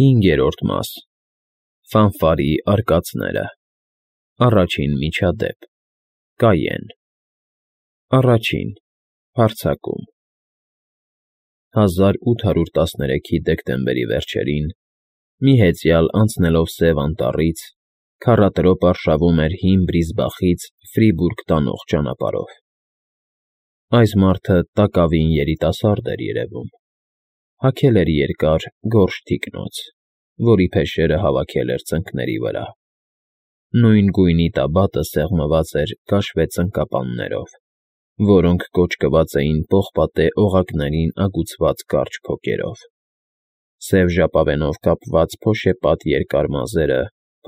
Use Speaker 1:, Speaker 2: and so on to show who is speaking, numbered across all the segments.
Speaker 1: 5-րդ մաս Ֆանֆարի արկածները Առաջին միջադեպ Կայեն Առաջին հարձակում 1813-ի դեկտեմբերի վերջերին մի հեծյալ անցնելով Սև Անտառից քառատրոպ արշավում էր հին Բրիզբախից Ֆրիբուրգ տանող ճանապարհով։ Այս մարդը տակավին երիտասարդ էր երևում, հագել էր երկար գորշ թիկնոց, որի փեշերը հավաքել էր ծնկների վրա։ Նույն գույնի տաբատը սեղմված էր կաշվե ծնկապաններով, որոնք կոճկված էին պողպատե օղակներին ագուցված կարճ փոկերով։ Սև ժապավենով կապված փոշեպատ երկար մազերը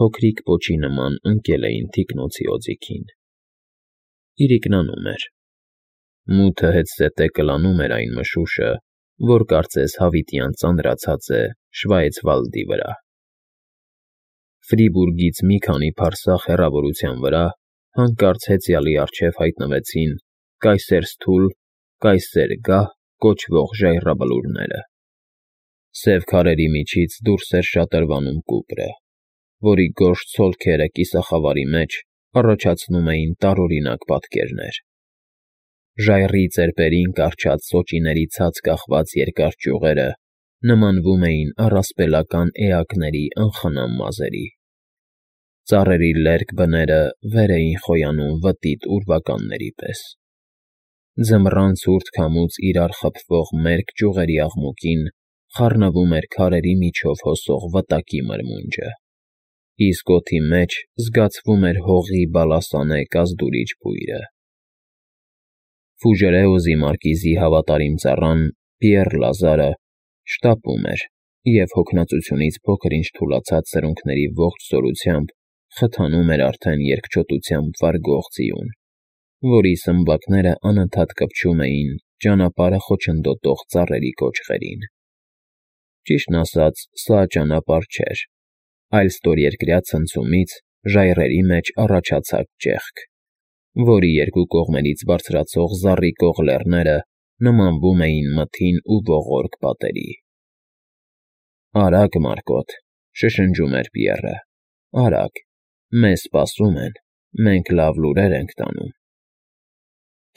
Speaker 1: փոքրիկ պոչի նման ընկել էին թիկնոցի օձիքին։ Իրիկնանում էր։ Մութը հետզհետե կլանում էր այն մշուշը, որ կարծես հավիտյան ծանրացած է Շվայցվալդի վրա։ Ֆրիբուրգից մի քանի փարսահ հեռավորության վրա հանկարծ հեծյալի առջև հայտնվեցին կայսեր գահ կոչվող ժայռաբլուրները։ Սև քարերի միջից դուրս էր շատրվանում կուպրը, որի գորշ ցոլքերը կիսախավարի մեջ առաջացնում էին տարօրինակ պատկերներ։ Ժայռի ծեպերին կառչած սոճիների ցած կախված երկար ճյուղերը նմանվում էին առասպելական էակների անխնամ մազերի։ Ծառերի լերկ բները վեր էին խոյանում վտիտ ուրվականների պես։ Ձմռան ցուրտ քամուց իրար խփվող մերկ ճյուղերի աղմուկին խառնվում էր քարերի միջով հոսող վտակի մրմունջը, իսկ օդի մեջ զգացվում էր հողի բալասանե կազդուրիչ բույրը։ Ֆուժերեոզի մարկիզի հավատարիմ ծառան Պիեռ Լազարը շտապում էր և հոգնածությունից փոքր-ինչ թուլացած սրունքների ողջ զորությամբ խթանում էր արդեն երկչոտությամբ վարգող ձիուն, որի սմբակները անընդհատ կպչում էին ճանապարհը խոչընդոտող ծառերի կոճղերին։ Ճիշտն ասած, սա ճանապարհ չէր, այլ ստորերկրյա ցնցումից ժայռերի մեջ առաջացած ճեղք, որի երկու կողմերից բարձրացող զառիկող լեռները նմանվում էին մթին ու ողորկ պատերի։ «Արագ, Մարկոտ», շշնջում էր Պիեռը, «արագ, մեզ սպասում են, մենք լավ լուրեր ենք տանում»։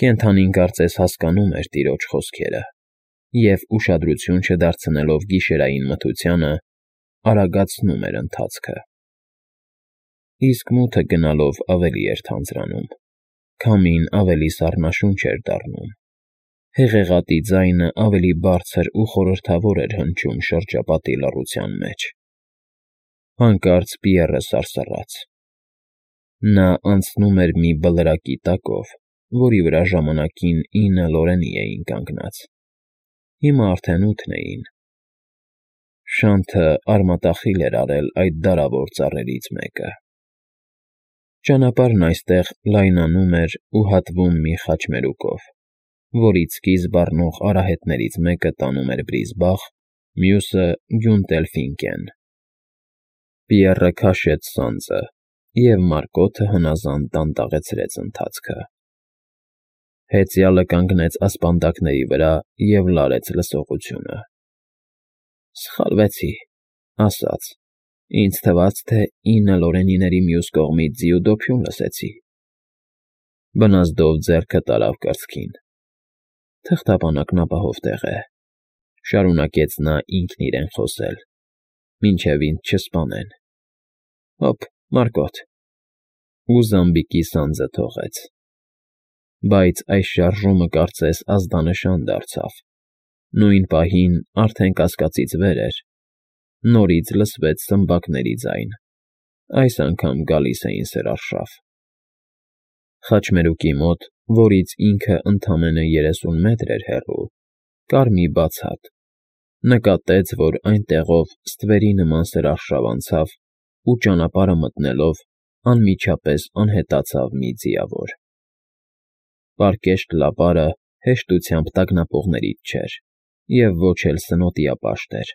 Speaker 1: Կենդանին կարծես հասկանում էր տիրոջ խոսքերը և, ուշադրություն չդարձնելով գիշերային մթությանը, արագացնում էր ընթացքը։ Իսկ մութը գնալով ավելի էր թանձրանում, քամին ավելի սառնաշունչ էր դառնում, հեղեղատի ձայնը ավելի բարձր ու խորհրդավոր էր հնչում շրջապատի լռության մեջ։ Հանկարծ Պիեռը սարսռաց։ Նա անցնում էր մի բլրակի տակով, որի վրա ժամանակին 9 լորենի էին կանգնած, հիմա արդեն 8 էին։ Շանթը արմատախիլ էր արել այդ դարավոր ծառերից մեկը։ Ճանապարհն այստեղ լայնանում էր ու հատվում մի խաչմերուկով, որից սկիզբ առնող արահետներից մեկը տանում էր Բրիզբախ, մյուսը՝ Գյունտելֆինկեն։ Պիեռը քաշեց սանձը, և Մարկոթը հնազանդ դանդաղեցրեց ընթացքը։ Հեծյալը կանգնեց ասպանդակների վրա և լարեց լսողությունը։ «Սխալվեցի», ասաց. «ինձ թվաց, թե 9 լորենիների մյուս կողմից ձիու դոփյուն լսեցի»։ Բնազդով ձեռքը տարավ կրծքին։ «Թղթապանակն ապահով տեղ է», շարունակեց նա ինքն իրեն խոսել, «մինչև ինձ չսպանեն։ Հոպ, Մարկոտ», ու զամբիկի սանձը թողեց։ Բայց այս շարժումը կարծես ազդանշան դարձավ։ Նույն պահին, արդեն կասկածից վեր էր, նորից լսվեց սմբակների ձայն, այս անգամ գալիս էին սրարշավ։ Խաչմերուկի մոտ, որից ինքը ընդամենը 30 մետր էր հեռու, կար մի բաց հատ։ Նկատեց, որ այնտեղով ստվերի նման սրարշավ անցավ ու ճանապարհը մտնելով անմիջապես անհետացավ մի ձիավոր։ Պարկեշտ լապարը հեշտությամբ տագնապողներից չէր և ոչ էլ սնոտիապաշտ էր,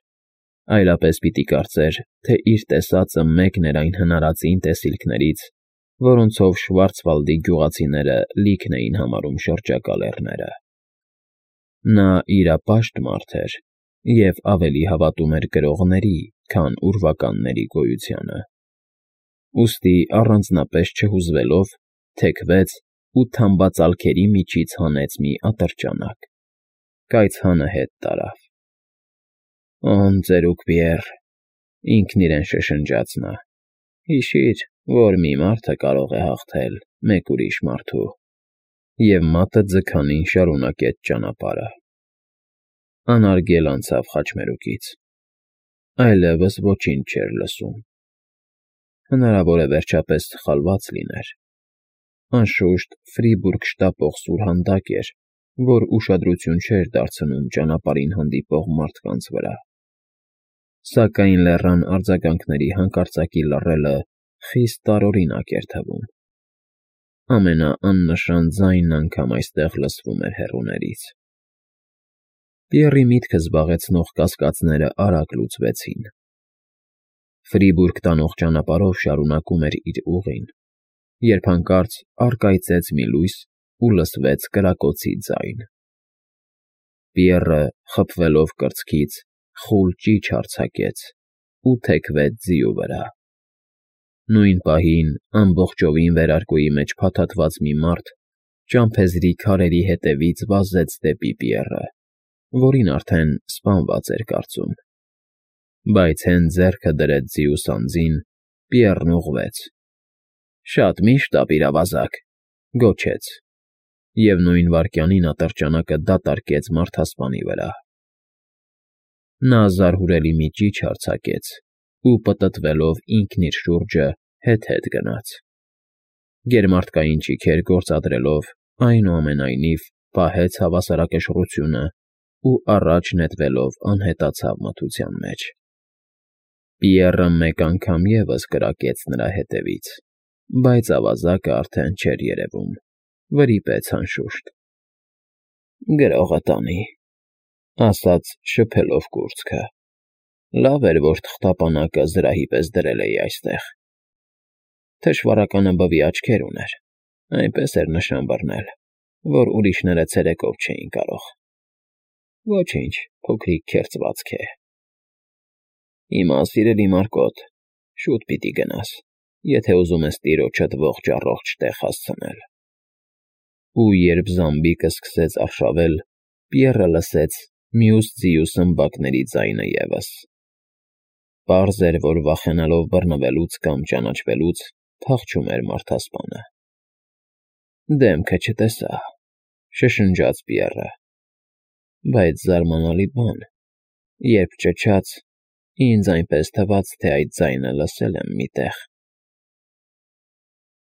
Speaker 1: այլապես պիտի կարծեր, թե իր տեսածը մեկն էր այն հնարածին տեսիլքներից, որոնցով Շվարցվալդի գյուղացիները լիքն էին համարում շրջակա լեռները։ Նա իրապաշտ մարդ էր և ավելի հավատում էր գրողների, քան ուրվականների գոյությանը։ Ուստի առանձնապես չհուզվելով, թեքվեց ու թամբածալքերի միջից հանեց մի ատրճանակ, կայծհանը հետ տարավ։ «Օն ծերուկ Պիեռ,» ինքն իրեն շշնջաց նա,֊ հիշիր, որ մի մարդը կարող է հաղթել մեկ ուրիշ մարդու», և մատը ձգանին շարունակեց ճանապարհը։ Անարգել անցավ խաչմերուկից։ Այլևս ոչինչ չէր լսում։ Հնարավոր է վերջապես սխալված լիներ։ Անշուշտ Ֆրիբուրգ շտապող սուրհանդակ էր, որ ուշադրություն չէր դարձնում ճանապարհին հանդիպող մարդկանց վրա։ Սակայն լեռան արձագանքների հանկարծակի լռելը խիստ տարօրինակ էր թվում։ Ամենաաննշան ձայնն անգամ այստեղ լսվում էր հեռուներից։ Պիեռի միտքը զբաղեցնող կասկածները արագ լուծվեցին։ Ֆրիբուրգ տանող ճանապարհով շարունակում էր իր ուղին, երբ հանկարծ առկայծեց մի լույս ու լսվեց կրակոցի ձայն։ Պիեռը, խփվելով կրծքից, խուլ ճիչ արձակեց ու թեքվեց ձիու վրա։ Նույն պահին ամբողջովին վերարկուի մեջ փաթաթված մի մարդ ճամփեզի քարերի հետևից վազեց դեպի Պիեռը, որին արդեն սպանված էր կարծում։ Բայց հենց ձեռքը դրեց ձիու սանձին, Պիեռն ուղղվեց։ «Շատ մի՛ շտապիր, ավազակ,» գոչեց, և նույն վայրկյանին ատրճանակը դատարկեց մարդասպանի վրա։ Նա զարհուրելի մի ճիչ արձակեց ու, պտտվելով ինքն իր շուրջը, հետ֊հետ գնաց։ Գերմարդկային ճիգեր գործադրելով, այնուամենայնիվ, պահեց հավասարակշռությունը ու առաջ նետվելով անհետացավ մթության մեջ։ Պիեռը մեկ անգամ ևս կրակեց նրա հետևից, բայց ավազակը արդեն չէր երևում, վրիպեց անշուշտ։ «Գրողը տանի,» ասաց շփելով կուրծքը։ «Լավ էր, որ թղթապանակը զրահի պես դրել էի այստեղ»։ Թշվառականը բվի աչքեր ուներ, այնպես էր նշան բռնել, որ ուրիշները ցերեկով չէին կարող։ Ոչինչ, փոքրիկ քերծվածք է։ Հիմա, սիրելի Մարկոտ, շուտ պիտի գնաս, եթե ուզում ես տիրոջդ ողջ֊առողջ տեղ հասցնել։ Ու երբ զամբիկը սկսեց արշավել, Պիեռը լսեց մյուս ձիու սմբակների ձայնը ևս։ Պարզ էր, որ վախենալով բռնվելուց կամ ճանաչվելուց փախչում էր մարդասպանը։ «Դեմքը չտեսա,» շշնջաց Պիեռը, «բայց զարմանալի բան, երբ ճչաց, ինձ այնպես թվաց, թե այդ ձայնը լսել եմ մի տեղ»։